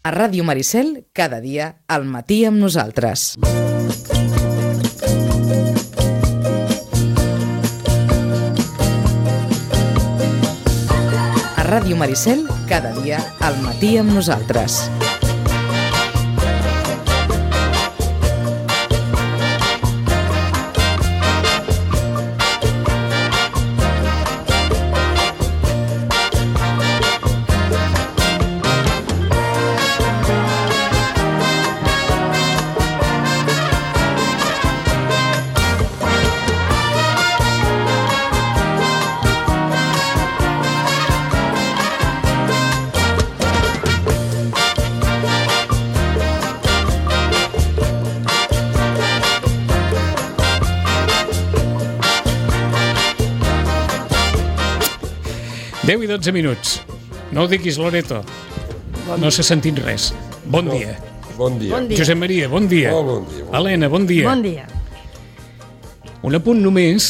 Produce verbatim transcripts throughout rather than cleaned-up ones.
A Ràdio Maricel, cada dia, al matí amb nosaltres. A Ràdio Maricel, cada dia, al matí amb nosaltres. deu i dotze minuts. No ho diguis, Loreto. Bon no s'ha sentit res. Bon no. dia. Bon dia. Bon dia. Josep Maria, bon dia. Oh, bon dia. Bon Helena, bon dia. Bon dia. Un apunt només,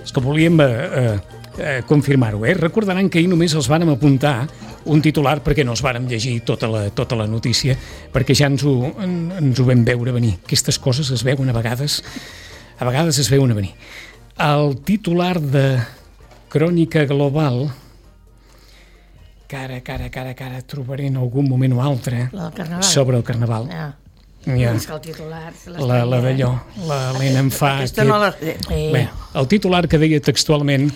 és que volíem eh, eh, confirmar-ho. Eh? Recordaran que ahir només els vàrem apuntar un titular perquè no els vàrem llegir tota la, tota la notícia, perquè ja ens ho, en, ens ho vam veure venir. Aquestes coses es veuen a vegades, a vegades es veuen a venir. El titular de Crònica Global, que ara, que ara, que ara, que ara trobaré en algun moment o altre sobre el Carnaval. Ja. Ja. És que el titular... La, la d'allò, l'Helena em fa... Aquesta aquest... no la... Eh. Bé, el titular que deia textualment: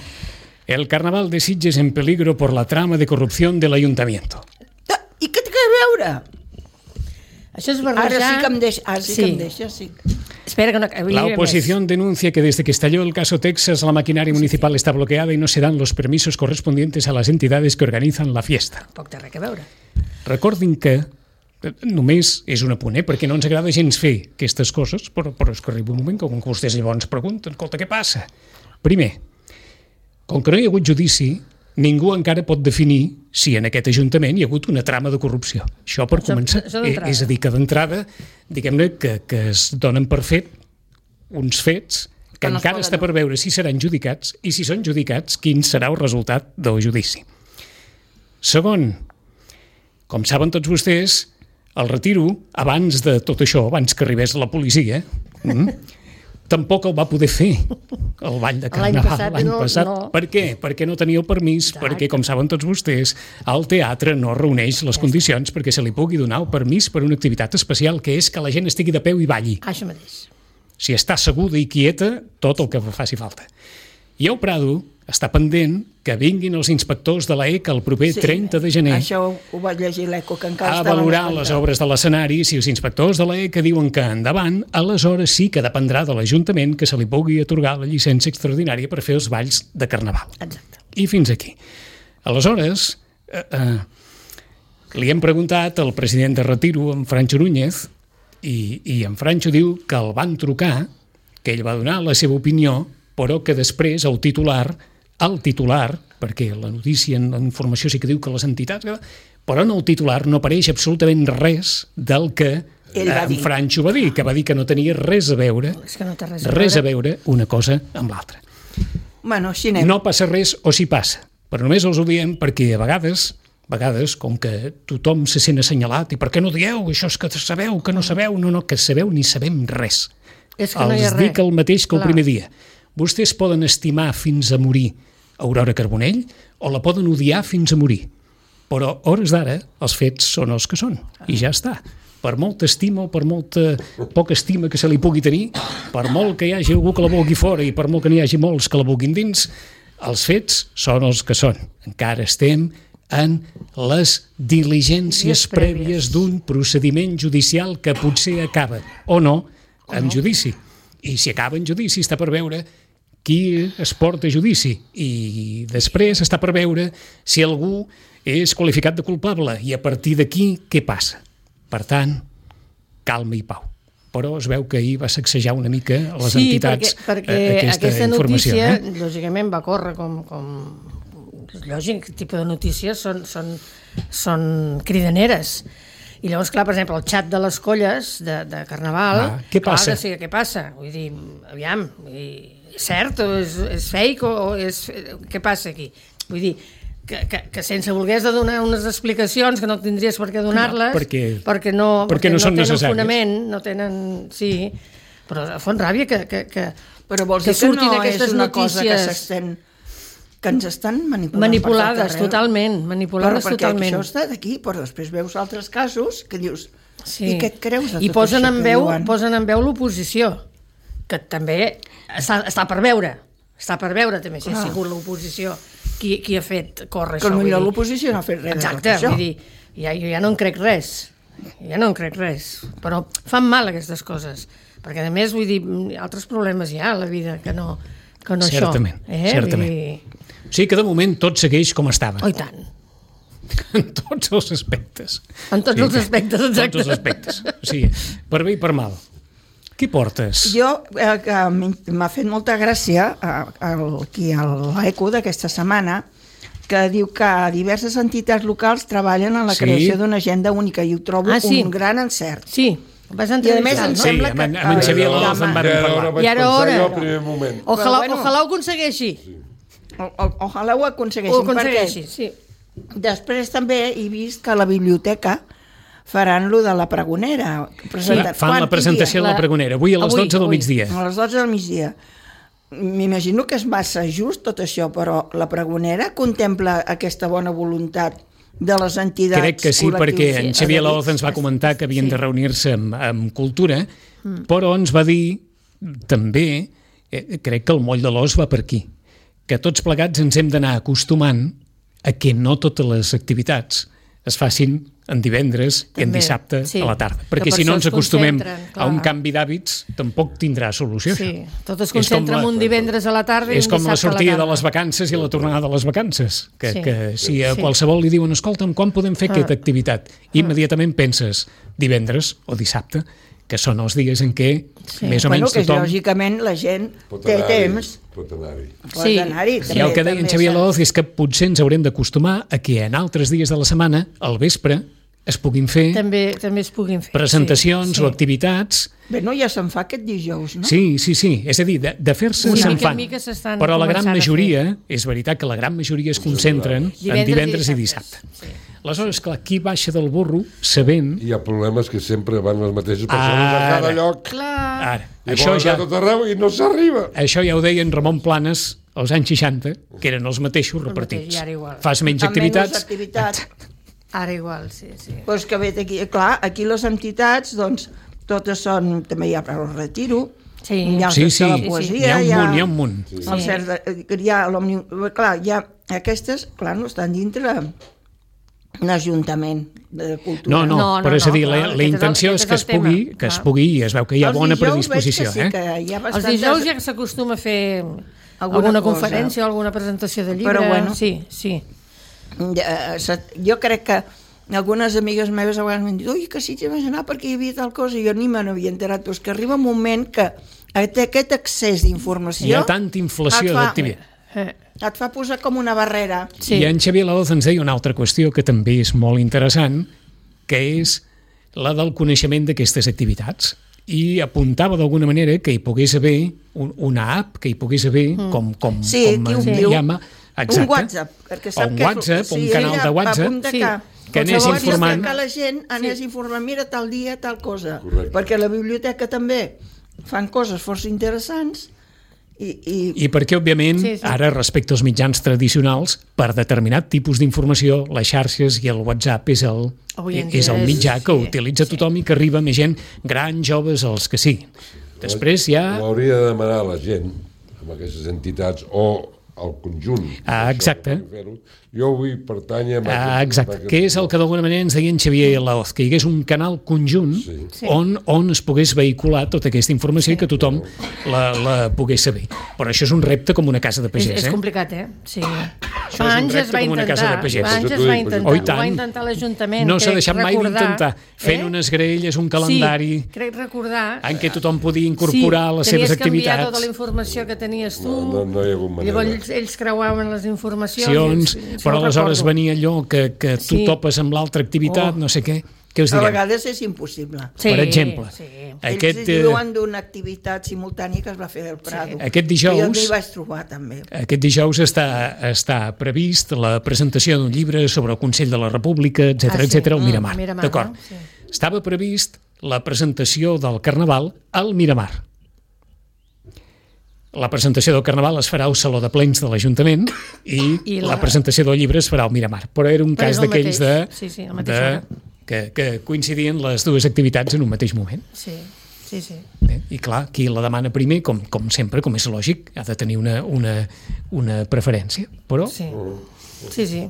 el Carnaval de Sitges en peligro por la trama de corrupción del ayuntamiento. I què té a veure? Això és barrejar... Ara sí que em deixa, ara sí, Sí. que em deixa, sí. Espera que no... La oposición denuncia que desde que estalló el caso Texas la maquinaria municipal está bloqueada y no se dan los permisos correspondientes a las entidades que organizan la fiesta. Poc té res a veure. Recordin que només és un apunt, eh? Perquè no ens agrada gens fer aquestes coses, però, però és que arriba un moment que, com que vostès llavors pregunten, escolta, què passa? Primer, com que no hi ha hagut judici, ningú encara pot definir si en aquest Ajuntament hi ha hagut una trama de corrupció. Això per Això- començar. això Eh, d'entrada. és a dir, que d'entrada, diguem-ne, que, que es donen per fet uns fets que, Que no es encara poden- està per veure si seran judicats i si són judicats, quin serà el resultat del judici. Segon, com saben tots vostès, el retiro, abans de tot això, abans que arribés la policia, mm, tampoc el va poder fer el ball de L'any Carnaval passat l'any no- passat. no. Per què? Perquè no tenia el permís, Exacte. perquè, com saben tots vostès, el teatre no reuneix les condicions perquè se li pugui donar el permís per una activitat especial, que és que la gent estigui de peu i balli. Ah, això mateix. Si està asseguda i quieta, tot el que faci falta. I el Prado està pendent que vinguin els inspectors de l'A E C el proper trenta de gener Això ho, ho vaig llegir l'Eco, que encara a estaven valorar esperant. les obres de l'escenari. Si els inspectors de l'A E C diuen que endavant, aleshores sí que dependrà de l'Ajuntament que se li pugui atorgar la llicència extraordinària per fer els balls de Carnaval. Exacte. I fins aquí. Aleshores, eh, eh, li hem preguntat al president de Retiro, en Francho Núñez, i, i en Francho diu que el van trucar, que ell va donar la seva opinió, però que després el titular, el titular, perquè la notícia, la informació sí que diu que les entitats, però en el titular no apareix absolutament res del que Ell va en dir. Francho va dir, que va dir que no tenia res a veure, És que no té res a res a veure. veure una cosa amb l'altra. Bueno, així anem. No passa res o si passa, però només els ho diem perquè a vegades, a vegades, com que tothom se sent assenyalat, i per què no dieu, això és que sabeu, que no sabeu, no, no, que sabeu ni sabem res. És que no hi ha Els res. dic el mateix que el Clar. primer dia. Vostès poden estimar fins a morir Aurora Carbonell o la poden odiar fins a morir, però a hores d'ara els fets són els que són, i ja està. Per molta estima o per molta poca estima que se li pugui tenir, per molt que hi hagi algú que la vulgui fora i per molt que n'hi hagi molts que la vulguin dins, els fets són els que són. Encara estem en les diligències Dies prèvies. prèvies d'un procediment judicial que potser acaba, o no, amb judici. I si acaba en judici està per veure qui es porta a judici, i després està per veure si algú és qualificat de culpable, i a partir d'aquí què passa. Per tant, calma i pau. Però es veu que ahir va sacsejar una mica a les Sí, entitats perquè, perquè eh, aquesta, aquesta informació. notícia, Eh? lògicament, va córrer com... com... És lògic, aquest tipus de notícies són, són, són cridaneres. I llavors, clar, per exemple, el xat de les colles de, de Carnaval... Ah, què passa? Clar que sí, què passa? Vull dir, aviam, vull dir, és cert o és, és fake o, o és... Què passa aquí? Vull dir, que, que, que sense volgués de donar unes explicacions que no tindries per què donar-les, No, perquè- perquè no, perquè no són tenen necessàries. fonament, no tenen... Sí, però fon ràbia que, que, que, Però vols que dir que surtin no és aquestes una cosa que notícies s'estan... que ens estan manipulant manipulades, per tot arreu. totalment, manipulades Però perquè totalment. això està d'aquí, però després veus altres casos que dius, Sí. i què et creus de I tot posen això en que veu, diuen? posen en veu l'oposició, que també està, està per veure, està per veure també si ha Clar. sigut l'oposició qui, qui ha fet córrer Que això. vull potser dir. l'oposició no ha fet res de tot Exacte, això. vull dir, ja, jo ja no en crec res, ja no en crec res, però fan mal aquestes coses, perquè a més, vull dir, altres problemes hi ha a la vida que no, que no Certament, això. Eh? certament. Vull dir, O sigui que de moment tot segueix com estava. oh, i tant, En tots els aspectes. en tots els aspectes, exacte. Tots els aspectes. O sigui, per bé i per mal. Què portes? Jo, eh, que m'ha fet molta gràcia eh, el, aquí a l'Eco d'aquesta setmana, que diu que diverses entitats locals treballen en la Sí. creació d'una agenda única i ho trobo Ah, sí? un gran encert. Sí, ho vas I a més entrevistar, em no? Sí, sembla amb, que- en- amb en Ah, Xavier ja, López en home. vàrem Ja parlar. no vaig I ara pensar hora. jo al primer moment. Ojalà, Però bueno. ojalà ho aconsegueixi. O, o, ojalà ho aconsegueixin, Ho aconsegueixi, sí. perquè després també he vist que a la biblioteca faran lo de la pregonera. Presentat. Fan Quan? la presentació Quin de la La- pregonera. Avui a les Avui, dotze del avui. migdia. dia? A les dotze del migdia. M'imagino que és massa just tot això, però la pregonera contempla aquesta bona voluntat de les entitats. Crec que sí, col·lectius perquè en Xavier adherits. Laoz ens va comentar que havien Sí. de reunir-se amb, amb Cultura, però ens va dir també, eh, crec que el moll de l'os va per aquí, que tots plegats ens hem d'anar acostumant a que no totes les activitats es facin en divendres i en També, dissabte sí. a la tarda. Que Perquè per si no això ens es acostumem concentren, a un clar. canvi d'hàbits, tampoc tindrà solució. Sí, això. tot es És com concentra la- en un divendres a la tarda i És un com la dissabte a sortida de tarda. les vacances i la tornada de les vacances, que, Sí. que si a Sí. qualsevol li diuen escolta'm, quan podem fer aquesta activitat? Immediatament penses divendres o dissabte, que són els dies en què Sí. més o Bueno, menys que tothom... lògicament la gent Pot té anar-hi, temps, Pot anar-hi. pot Sí. anar-hi. I el que deia en Xavier López és que potser ens haurem d'acostumar a que en altres dies de la setmana, al vespre, es puguin fer També, també es puguin fer. presentacions sí, o sí. activitats. Bé, no, ja se'n fa aquest dijous, no? Sí, sí, sí. És a dir, de, de fer-se Sí, se'n mica en fan. mica s'estan Però la gran començant a majoria, és veritat que la gran majoria es concentren en Divendres i divendres i dissabtes, dissabte. Aleshores, clar, qui baixa del burro sabent... Hi ha problemes que sempre van les mateixes persones Ara. a cada lloc. Clar. Ara, I això volen ja, anar a tot arreu i no s'arriba. això ja ho deia en Ramon Planes als anys seixanta, que eren els mateixos mateix, repartits. i ara igual. Fas menys Amb menys activitats, activitats. Ara igual, sí, sí. Pues que ve d'aquí, clar, aquí les entitats, doncs, totes són, també hi ha per al retiro, Sí. hi ha els Sí, de sí, la sí, poesia, n'hi ha un munt, n'hi ha un munt. Sí. El cert de, hi ha l'òmnium, clar, hi ha aquestes, clar, no estan dintre l'Ajuntament de Cultura. No, no, No, no, però és a dir, no, la, clar, la aquest és el- intenció és aquest que és es el tema, pugui, que es clar. pugui, i es veu que hi ha Els bona dijous predisposició, veig que sí, eh? que hi ha Els bastantes... dijous ja s'acostuma a fer Alguna alguna, cosa. conferència o alguna presentació de llibre. Però bueno. Sí, sí. Ja, se- jo crec que algunes amigues meves a vegades m'han dit ui, que sí, t'hi vas anar perquè hi havia tal cosa i jo ni me n'havia enterat, però és que arriba un moment que aquest excés d'informació Hi ha tanta inflació et fa- d'activitat. Eh, et fa posar com una barrera. sí. I en Xavier Laoz ens deia una altra qüestió que també és molt interessant, que és la del coneixement d'aquestes activitats. I apuntava d'alguna manera que hi pogués haver un, una app, que hi pogués haver mm. com, com, Sí, com aquí ho en diu. llama, exacte, Un WhatsApp. Perquè o sap un que és- WhatsApp, sí, un canal ella de va WhatsApp, apuntar Sí. que anés Qualsevol informant. que la gent anés sí. informant, mira, tal dia, tal cosa. Correcte. Perquè a la biblioteca també fan coses força interessants i, i, I perquè, òbviament, Sí, sí. ara, respecte als mitjans tradicionals, per determinat tipus d'informació, les xarxes i el WhatsApp és el, Avui en és dia el és- mitjà que sí, utilitza tothom i que arriba a més gent, grans, joves, els que siguin. Després hi ha... Ho hauria de demanar a la gent, amb aquestes entitats, o al conjunt. Ah, Això, exacte. per fer-ho. Jo vull pertànyer... a Ah, aquest- exacte, a aquest- que és el que d'alguna manera ens deia en Xavier Laoz, que hi hagués un canal conjunt Sí. Sí. on, on es pogués vehicular tota aquesta informació i que tothom la, la pogués saber. Però això és un repte com una casa de És, pagès, és eh? complicat, eh? Sí. és Fa un anys es repte va com una casa de intentar, pagès. fa anys Per es això va t'ho dic, intentar, Oh, i ho va tant. intentar l'Ajuntament. No s'ha crec deixat mai recordar, d'intentar, fent eh? unes graelles, un calendari Sí, crec recordar. en què tothom podia incorporar les seves tenies que enviar activitats. tota la informació que tenies tu. No, no, no hi ha hagut manera. Llavors ells, ells creuaven les informacions. Accions, i- i- però això ho aleshores recordo. venia allò que, que tu Sí. topes amb l'altra activitat, Oh. no sé què. Què us A direm? vegades és impossible. Sí, Per exemple, sí. aquest, Ells diuen d'una activitat simultània que es va fer al Prado. Sí. Aquest dijous- Que jo m'hi vaig trobar, també. Aquest dijous està, està previst la presentació d'un llibre sobre el Consell de la República, etcètera, Ah, sí. etcètera, al Mm, Miramar. Miramar, D'acord. no? Sí. Estava previst la presentació del Carnaval al Miramar. La presentació del Carnaval es farà al Saló de Plens de l'Ajuntament i, I la... la- la presentació del llibre es farà al Miramar. Però era un Però cas és el d'aquells de, mateix. Sí, sí, a la mateixa de hora. que, que coincidien les dues activitats en un mateix moment. Sí, sí, sí. Eh? I clar, qui la demana primer, com, com sempre, com és lògic, ha de tenir una, una, una preferència. Però Sí, sí, sí.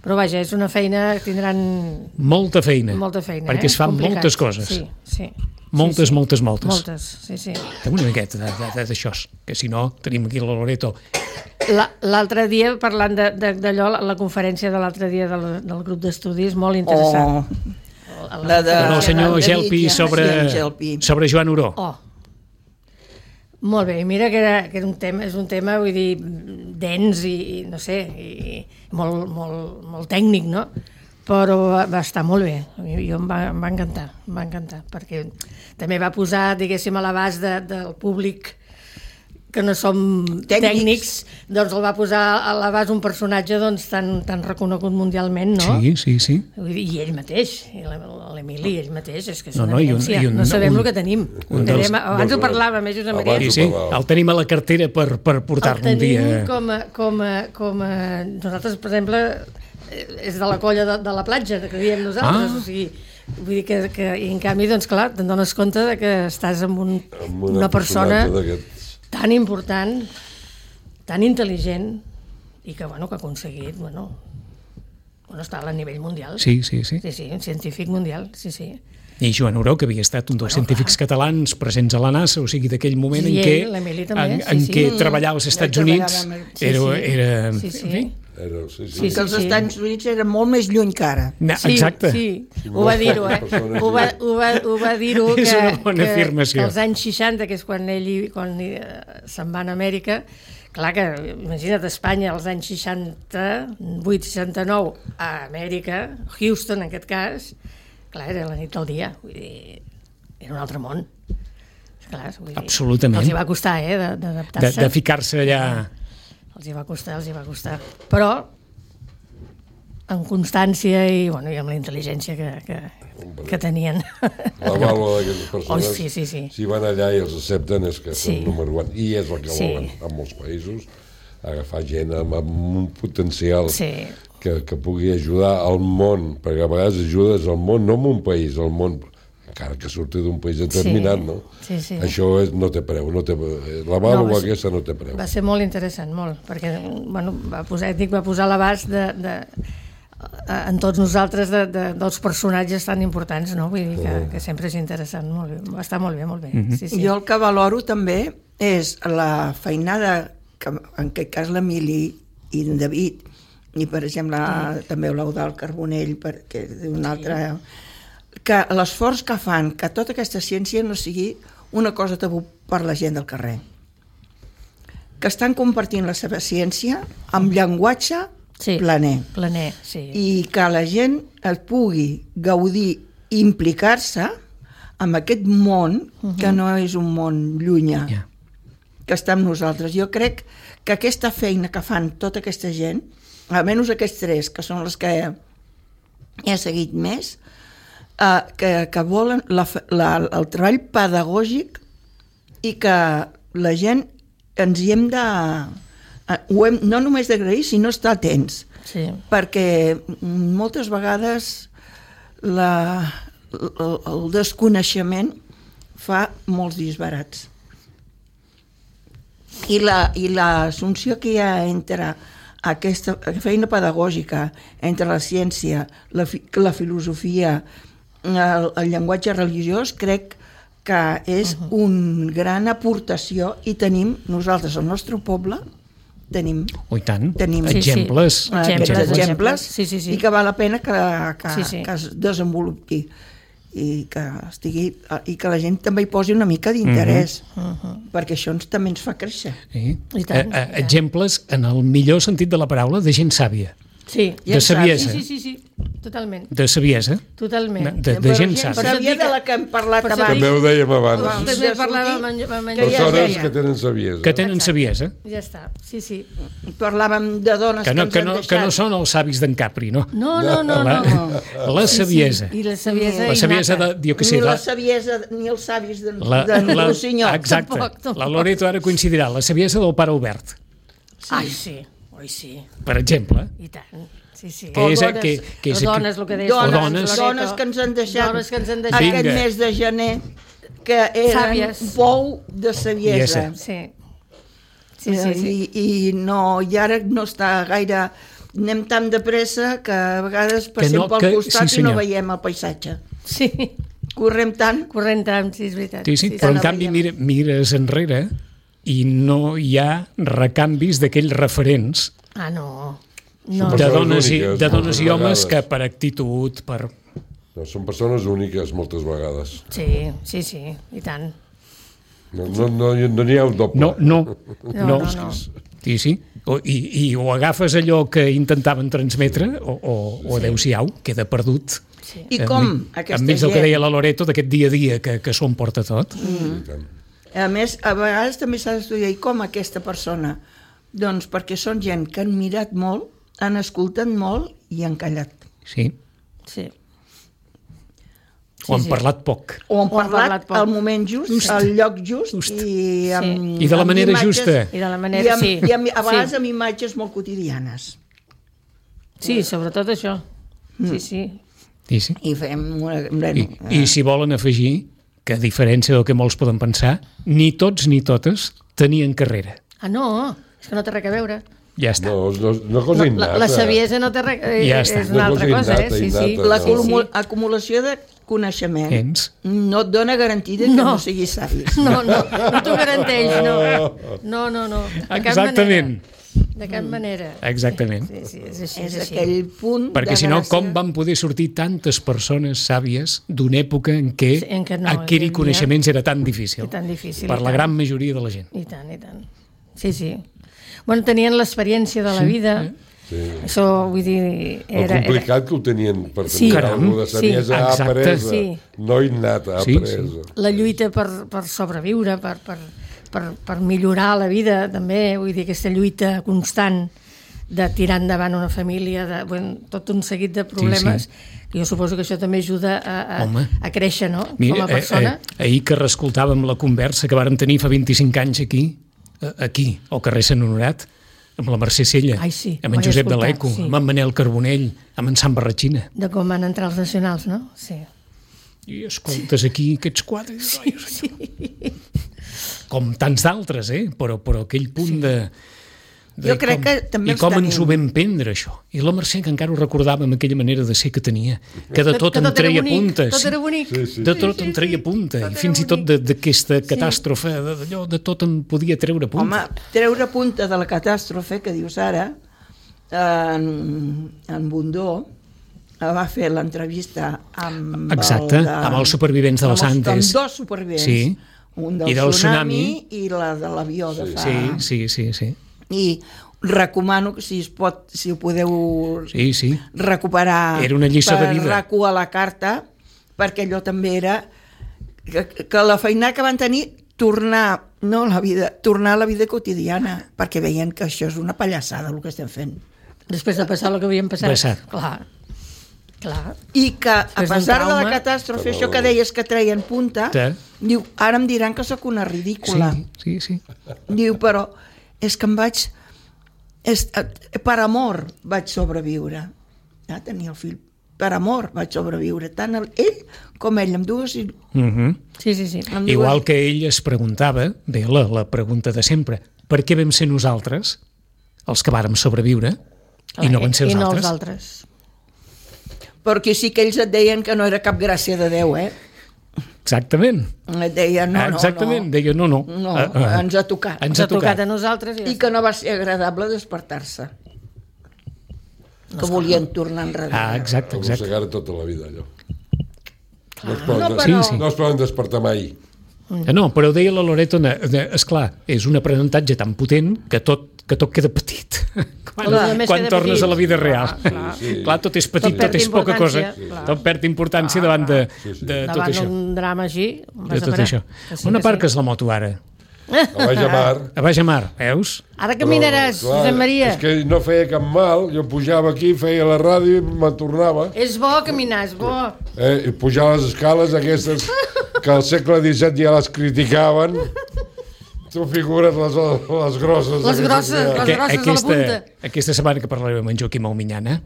Però vaja, és una feina que tindran molta feina. molta feina. Perquè eh? es fan Complicat. moltes coses. Sí, sí. Moltes, sí, sí. moltes, moltes. Moltes, sí, sí. Fem una miqueta de- de- de- d'això, que si no tenim aquí la Loreto. La- L'altre dia, parlant de- de- d'allò, la, la conferència de l'altre dia del, del grup d'estudis, molt interessant. Oh, la de... Bueno, el senyor David Gelpi i- sobre, sí, en Gelpi. sobre Joan Oró. Oh, molt bé, i mira que, era, que era un tema, és un tema, vull dir, dens i, i no sé, i molt, molt, molt tècnic, no? Però va, va estar molt bé, a mi, jo em va, em va encantar, em va encantar, perquè també va posar, diguéssim, a l'abast de, del públic que no som tècnics. tècnics, doncs el va posar a l'abast un personatge doncs, tan, tan reconegut mundialment, no? Sí, sí, sí. Vull dir, i ell mateix, i l'Emili, ell mateix, és que és No, una no, i un- evidència, i un- no sabem un- el que tenim. un dels- Tenim- abans ho dels- parlàvem, eh, Josep abans Maria? Sí, ho sí, parlàvem. el tenim a la cartera per, per portar-lo El un tenim dia. com a, com a, com a... Nosaltres, per exemple, eh, és de la colla de, de la platja, que diem nosaltres, Ah. o sigui, vull dir que, que i en canvi, doncs clar, te'n dones compte de que estàs amb, un, Amb una persona personatge d'aquests. tan important, tan intel·ligent, i que, bueno, que ha aconseguit, bueno, bueno està a nivell mundial. Sí, sí, sí. Sí, sí, un científic mundial, sí, sí. I Joan Oró, que havia estat un dels Bueno, científics catalans presents a la NASA, o sigui, d'aquell moment I en ell, què, l'Emili també, en, sí, en sí. què Mm. treballar als Estats Ell Units treballava amb- sí, era... sí. era Sí, sí. en fi, Era, sí, sí. Sí, Que els sí. Estats Units eren molt més lluny que ara. na- Sí, exacte. sí, ho va dir-ho, eh? Ho va, ho va, ho va dir-ho que, És una bona que, afirmació. que als anys seixanta, que és quan ell hi- quan hi, eh, se'n va a Amèrica, clar que, imagina't, Espanya als anys seixanta-vuit seixanta-nou a Amèrica, Houston en aquest cas, clar, era la nit del dia, vull dir, era un altre món. Clar, vull dir, Absolutament. Els hi va costar, eh, de- De, d'adaptar-se. de ficar-se allà... Els hi va costar, els hi va costar. Però amb constància i, bueno, i amb la intel·ligència que, que, que tenien. La vàlua d'aquestes persones, Oh, sí, sí, sí. si van allà i els accepten, és que Sí. són número un. I és el que Sí. volen en molts països, agafar gent amb, amb un potencial Sí. que, que pugui ajudar al món, perquè a vegades ajudes al món, no en un país, al món, encara que surti d'un país determinat, Sí. no? Sí, sí. Això és, no té preu, no té, la vàlua va ser- aquesta no té preu. Va ser molt interessant, molt, perquè bueno, va posar, dic, va posar a l'abast de, de, en tots nosaltres de, de, dels personatges tan importants, no? Vull dir que, que sempre és interessant, molt bé. Va estar molt bé, molt bé. Sí, sí. Jo el que valoro també és la feinada que en aquest cas l'Emili i en David i per exemple també l'Eudald Carbonell perquè d'un altre que l'esforç que fan que tota aquesta ciència no sigui una cosa tabú per la gent del carrer, que estan compartint la seva ciència amb llenguatge Sí. planer Planer, sí. i que la gent es pugui gaudir i implicar-se amb aquest món que no és un món llunyà, Ja. que està amb nosaltres. Jo crec que aquesta feina que fan tota aquesta gent, almenys aquests tres, que són les que he seguit més, eh, que, que volen la, fe- la, el treball pedagògic i que la gent ens hi hem de... eh, Ho hem, no només d'agrair, sinó estar atents. Sí. Perquè moltes vegades la, el, el desconeixement fa molts disbarats. I la, i l'assumpció que hi ha entre aquesta feina pedagògica, entre la ciència, la, fi, la filosofia, el, el llenguatge religiós, crec que és uh -huh. una gran aportació i tenim, nosaltres, al nostre poble, tenim Oh, i tant. Tenim- Sí, sí. exemples. eh, Exemples, aquests exemples, exemples. Sí, sí, sí. i que val la pena que, que, Sí, sí. que es desenvolupi i que estigui i que la gent també hi posi una mica d'interès uh -huh. perquè això ens, també ens fa créixer. Sí. I tant, Eh, eh, i tant. exemples, en el millor sentit de la paraula, de gent sàvia. Sí. De saviesa. Sí, sí, sí, sí, totalment. De saviesa. Totalment. De, de gent gent sàvia. sàvia de la que hem parlat Per això abans. També ho dèiem abans. Abans. També de parlava sortir, amb en- amb en que ja Persones deia. que tenen saviesa. Que tenen Exacte. saviesa. Ja està, sí, sí. Parlàvem de dones Que no, ens que han no, que no deixat. són els savis d'en Capri, no? No, no, no, La, no. la saviesa. Sí, sí. I la saviesa La saviesa de, innata. jo què sé, Ni la, la saviesa ni els savis d'en la, d'en la, Rossinyol. exacte. Tampoc, tampoc. La Loreto ara coincidirà. La saviesa del pare Albert, Ai, sí, oi, sí, per exemple. i tant. Sí, sí. Que O és, dones. que, que és, O dones, el que deies. Dones, dones. dones que ens han deixat, Dones que ens han deixat. aquest Vinga. mes de gener, que eren Sàvies. pou de saviesa. Sí. Sí, sí, sí. I, I no, i ara no està gaire... Anem tan de pressa que a vegades passem no, pel que- costat sí, i no senyor. veiem el paisatge. Sí, Correm tant. corrent tant, sí, és veritat. sí, sí, sí, però en no canvi veiem. mira, mires enrere i no hi ha recanvis d'aquells referents Ah, no. Són No, de persones dones, i, úniques, de dones i moltes homes vegades. que per actitud, per... No, són persones úniques moltes vegades. sí, sí, sí, i tant. No n'hi no, no, no n'hi ha un doble. No, no, No, no. no, no. Sí, sí. O, i, I o agafes allò que intentaven transmetre o, o, o adeu-siau, queda perdut. Sí. I com Enmig- aquesta enmig del que gent... deia la Loreto, d'aquest dia a dia que, que s'ho emporta tot. Mm. A més, a vegades també s'ha d'estudiar i com aquesta persona. Doncs perquè són gent que han mirat molt, han escoltat molt i han callat. Sí. Sí. O han sí. parlat poc. O han O han parlat, parlat poc. al moment just, Just. al lloc just, Just. i amb, I de la amb manera imatges- justa. I de la manera, i amb, sí. I amb, a vegades Sí. amb imatges molt quotidianes. Sí, sobretot això. Sí, sí. Sí, sí. I fem... Una, I, bueno, I si volen afegir que, a diferència del que molts poden pensar, ni tots ni totes tenien carrera. Ah, no, és que no té res a veure. Ja està. No, no, una cosa No, la, innata. la saviesa no té res... eh, Ja està. És una Una altra cosa cosa, eh? innata, Sí, sí. innata. la Sí, acumula- acumulació de coneixement Ens. no et dona garantida que No. no, siguis savi. No, no, no t'ho garanteix, no. No, no, no. De cap Exactament. manera. De cap manera. Exactament. Sí, sí, és així. És És així. aquell punt Perquè de si no, gràcia. com van poder sortir tantes persones sàvies d'una època en què, Sí, en què no, adquirir hi havia- coneixements era tan difícil? I tan difícil, Per i la tant. gran majoria de la gent. I tant, i tant. Sí, sí. Bueno, tenien l'experiència de la Sí, vida. Sí. Això, vull dir... El Era, era... complicat que ho tenien per Sí. tenir Caram. alguna de saviesa Sí. Exacte. apresa, Sí. no innata, Sí, apresa. La lluita per, per sobreviure, per, per, per, per millorar la vida, també, vull dir, aquesta lluita constant de tirar endavant una família, de, bueno, tot un seguit de problemes, Sí, que jo suposo que això també ajuda a, a, Home. a créixer, no?, Mira, com a persona. eh, eh, ahir que reescoltàvem la conversa que vàrem tenir fa vint-i-cinc anys aquí, eh, aquí, al carrer Sant Honorat, amb la Mercè Sella, Ai, sí, amb ho en he Josep de escoltat, l'Eco, sí. amb en Manel Carbonell, amb en Sant Barratxina. De com van entrar els nacionals, no? Sí. I escoltes aquí aquests quadres, sí, sí. com tants d'altres, eh? però, però aquell punt de... de Jo crec com, que també I els com tenim. ens ho vam prendre, això. I la Mercè, que encara ho recordava amb aquella manera de ser que tenia, que de Que- tot que en tot era treia bonic, punta. tot era bonic. Sí, sí. De tot en treia punta, tot i era fins i tot bonic. de- d'aquesta catàstrofe, de- d'allò, de tot en podia treure punta. Home, treure punta de la catàstrofe que dius ara, en, en Bundó va fer l'entrevista amb, Exacte, el de, amb els supervivents de les amb els- Andes. Amb dos supervivents. Sí. Un del, I del tsunami, tsunami. i la de l'avió de fa... Sí, sí, sí, sí. I recomano que si es pot, si ho podeu Sí, sí. recuperar Era una lliçó de vida. per RAC u a la carta, perquè allò també era que, que la feina que van tenir tornar, no la vida, tornar a la vida quotidiana, perquè veien que això és una pallassada el que estem fent. Després de passar el que havien passat. Passat. Clar, clar. I que a Després d'un pesar de la trauma- catàstrofe, això que deies que treien punta, Sí. diu, ara em diran que sóc una ridícula. Sí, sí, sí. Diu, però és que em vaig... És, per amor vaig sobreviure. Ja tenia el fill. Per amor vaig sobreviure. Tant el, ell com ell, amb dues... Mm -hmm. Sí, sí, sí. Amb Igual dues, que ell es preguntava, bé, la, la pregunta de sempre, per què vam ser nosaltres, els que vàrem sobreviure, i no van ser els I no altres? els altres. Perquè sí que ells et deien que no era cap gràcia de Déu, eh? Exactament. Et deien, no, no, Exactament, no. deia, no, no. No, Ah, ah. ens ha tocat. Ens Ens ha tocat a nosaltres. I, I que no va ser agradable despertar-se. Que volien tornar enrere. Ah, exacte, exacte. Arrossegar tota la vida, allò. No es poden, No, des- però- Sí, sí. no es poden despertar mai. No, però ho deia la Loreto, esclar, és un aprenentatge tan potent que tot que tot queda petit quan, quan tornes petit. A la vida real. Clar, clar. Sí, sí. Clar, tot és petit, tot, tot és poca cosa. Clar. Tot perd importància clar, davant de, sí, sí. de tot davant això. Davant d'un drama així, de tot això. Sí, on aparques sí. La moto ara? A Baix a Mar. A Baix a Mar, veus? Ara caminaràs, però, clar, Josep Maria. És que no feia cap mal, jo pujava aquí, feia la ràdio i me'n tornava. És bo caminar, és bo. Eh, I pujar les escales aquestes que al segle disset ja les criticaven. Tu figures les, les grosses. Les grosses, les grosses aquesta, de la punta. Aquesta setmana que parlarem amb en Joaquim Alminyana,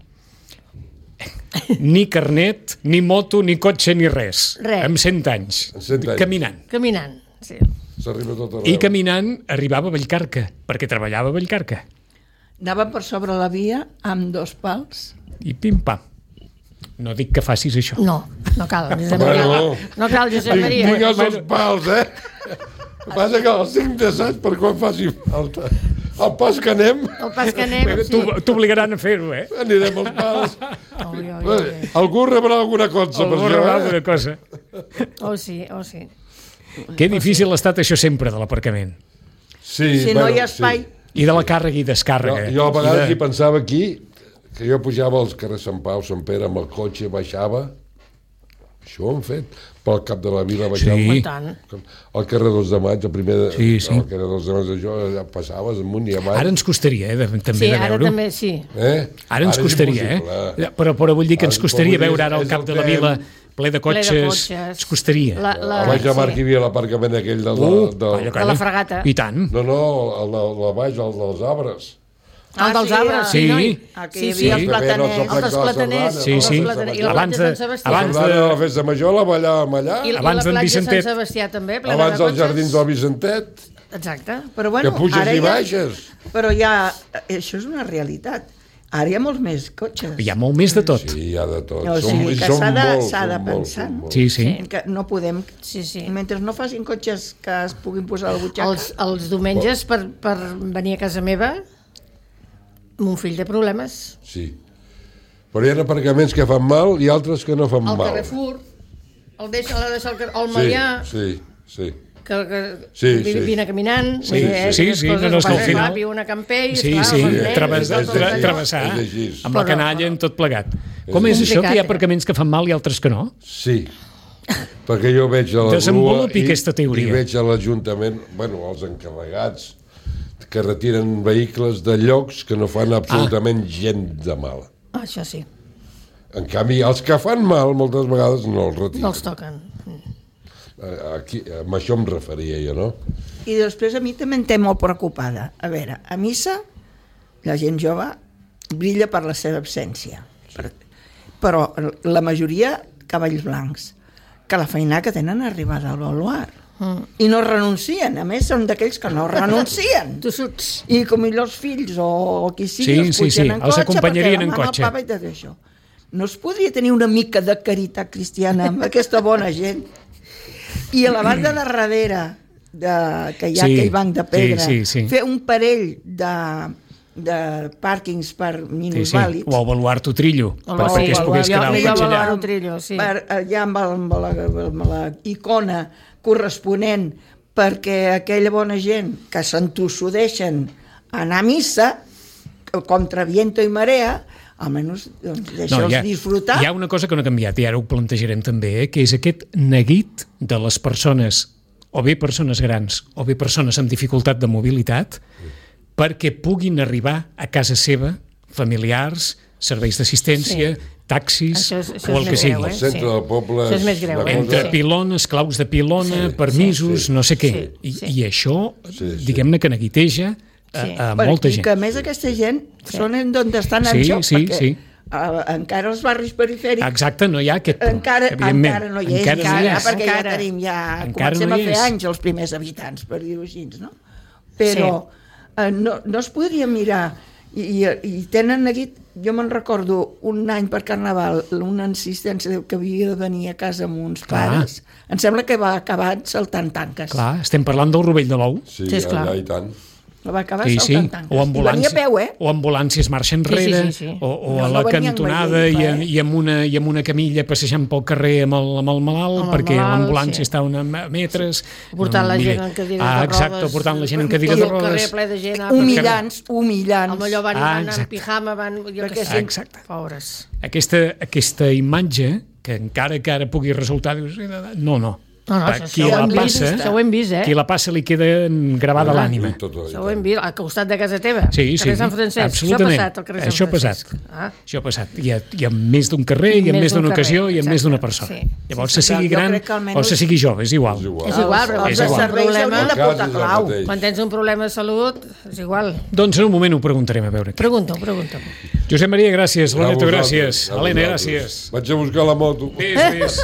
ni carnet, ni moto, ni cotxe, ni res. Res. Amb cent anys. cent anys. Caminant. Caminant, sí. S'arriba tot arreu. I caminant arribava a Vallcarca, perquè treballava a Vallcarca. Anava per sobre la via amb dos pals. I pim-pam. No dic que facis això. No, no cal, Josep Maria. Bueno, no cal, Josep Maria. Tinc els dos pals, eh? El que passa que els tinc d'assaig per quan faci falta. El pas que anem... El pas que anem, sí. T'obligaran a fer-ho, eh? Anirem als pals. Oi, oi, oi. Algú rebrà alguna cosa. Algú rebrà alguna cosa. Oh, sí, oh, sí. Que difícil ha estat això sempre de l'aparcament. Sí, si bueno, no hi ha espai... Sí. I de la càrrega i descàrrega. Jo, jo a vegades de... hi pensava aquí, que jo pujava als carrers Sant Pau, Sant Pere, amb el cotxe, baixava. Això ho han fet. Pel cap de la vila baixava. Sí. Al carrer dos de maig, el primer de... Sí, sí. Al carrer dos de maig, això, allà passaves amunt i avall. Ara ens costaria, eh, de, també sí, de veure-ho. Ara també, sí. Eh? Ara ens ara costaria, eh? Però, però vull dir que ens costaria veure ara al cap de la vila ple de cotxes. Ple de cotxes. Ens costaria. La, la... A Baix de Mar, sí. Hi havia l'aparcament aquell del... Uh, del... calla, calla. De la fregata. I tant. No, no, el de la Baix, el dels arbres. Ah, dels arbres, sí. Sí, aquí sí, hi sí. havia els plataners. Els plataners. Sí, sí. I la platja de Sant Sebastià. Abans de la festa major la ballàvem allà. I, abans I la platja de Sant Vicentet. Sebastià també, plena abans de dels jardins del Vicentet. Exacte. Però bueno, que puges ara i ja, baixes. Però ja, això és una realitat. Ara hi ha molts més cotxes. Hi ha molt més de tot. Sí, hi ha de tot. O sigui, que s'ha de, s'ha de pensar. Sí, sí. Que no podem... Sí, sí. Mentre no facin cotxes que es puguin posar a la butxaca... Els, els diumenges, per, per venir a casa meva, mon fill té problemes. Sí. Però hi ha aparcaments que fan mal i altres que no fan el mal. El Carrefour, el deixa, l'ha de deixar el, el Malià... Sí, sí, sí. que, que sí, vine, sí. vine caminant, sí, sí, sí, sí, no, no, és que al final... Una Campell, sí, esclar, sí, nens, travessar, tra travessar amb la canalla en tot plegat. Com és això, que hi ha aparcaments que fan mal i altres que no? Sí, perquè jo veig a la grua i, i veig a l'Ajuntament, bueno, els encarregats, que retiren vehicles de llocs que no fan absolutament ah. gens de mal. Ah, això sí. En canvi, els que fan mal, moltes vegades no els retiren. No els toquen. Aquí, amb això em referia jo, no? I després a mi també em té molt preocupada. A veure, a missa la gent jove brilla per la seva absència. Sí. Però la majoria cavalls blancs, que la feina que tenen arribada al baluart. Mm. I no renuncien, a més són d'aquells que no renuncien. Tossuts. I com els fills o, o qui sigui, sí, els sí, pugen sí. en els cotxe acompanyarien en perquè cotxe. el papa i tot això. No es podria tenir una mica de caritat cristiana amb aquesta bona gent? I a la banda de darrere, de, que hi ha sí, aquell banc de pedra, sí, sí, sí. fer un parell de, de pàrquings per minusvàlids. Sí, sí. O avaluar-t'ho trillo, o per, perquè es pogués quedar el cotxe allà. Trillo, sí. Per, allà amb, el, amb, la, amb la icona corresponent, perquè aquella bona gent que s'entossudeixen a anar a missa, contra viento i marea, almenys doncs, deixa'ls no, disfrutar. Hi ha una cosa que no ha canviat, i ara ho plantejarem també, eh, que és aquest neguit de les persones, o bé persones grans, o bé persones amb dificultat de mobilitat, perquè puguin arribar a casa seva, familiars, serveis d'assistència, sí. taxis, això és, això o el que sigui. El centre sí. del poble... Això és més greu, eh? Entre sí. pilones, claus de pilona, sí. permisos, sí. no sé què. Sí. I, sí. I això, sí, sí. diguem-ne que neguiteja a, sí. a molta gent. I que a més aquesta gent sí. són d'on estan en sí, joc, sí, perquè sí. Uh, encara els barris perifèrics... Exacte, no hi ha aquest punt, encara, encara no hi és, encara, encara, no hi és. perquè encara, ja tenim, ja encara comencem no a fer és. anys els primers habitants, per dir-ho així, no? Però sí. uh, no, no es podria mirar, i, i, i tenen neguit, jo me'n recordo un any per Carnaval, una insistència que havia de venir a casa amb uns clar. pares, em sembla que va acabar saltant tanques. Clar, estem parlant del rovell de l'ou. Sí, sí, allà i tant. La va acabar sí, sí. saltant tanques. O ambulàncies, I venia a peu, eh? o ambulàncies marxa enrere, Sí, sí, sí, sí. o, o No, a no la venien cantonada veient, i, eh? i, amb una, i amb una camilla passejant pel carrer amb el, amb el malalt, Amb el perquè malalt, l'ambulància sí. està a una metres. Portant la mira, gent en cadires ah, de rodes. exacte, portant la gent en cadires Tot de el carrer rodes. ple de gent. ah, Humillants, perquè- humillants. Amb allò van, Ah, van en exacte. pijama, van... Jo Perquè que sí. sé. Exacte. Pobres. Aquesta, aquesta imatge, que encara que ara pugui resultar... Dius, no, no. No, no, Per això, qui això, ho la hem vist, passa, això ho hem vist, eh? qui la passa li queda gravada a l'ànima. Això ho hem vist, al costat de casa teva. Sí, sí, carrer Sant Francesc. absolutament. Això ha passat, al carrer Sant Això ha passat. Francesc. Ah. Això ha passat. Hi ha, hi ha més d'un carrer, I hi ha més més d'un d'una carrer, ocasió i hi ha més exacte. d'una persona. Sí. Llavors, Sí, se sí, sigui jo gran crec que almenys- o se sigui jove, és igual. És igual. És igual, però Els És de igual. serveis Problema- haurien de El cas portar és el clau. mateix. Quan tens un problema de salut, és igual. Doncs en un moment ho preguntarem, a veure. Pregunta-ho, pregunta-ho. Josep Maria, gràcies. A Loreto, vosaltres, gràcies. a Helena, vosaltres. gràcies. Vaig a buscar la moto. Ves, ves.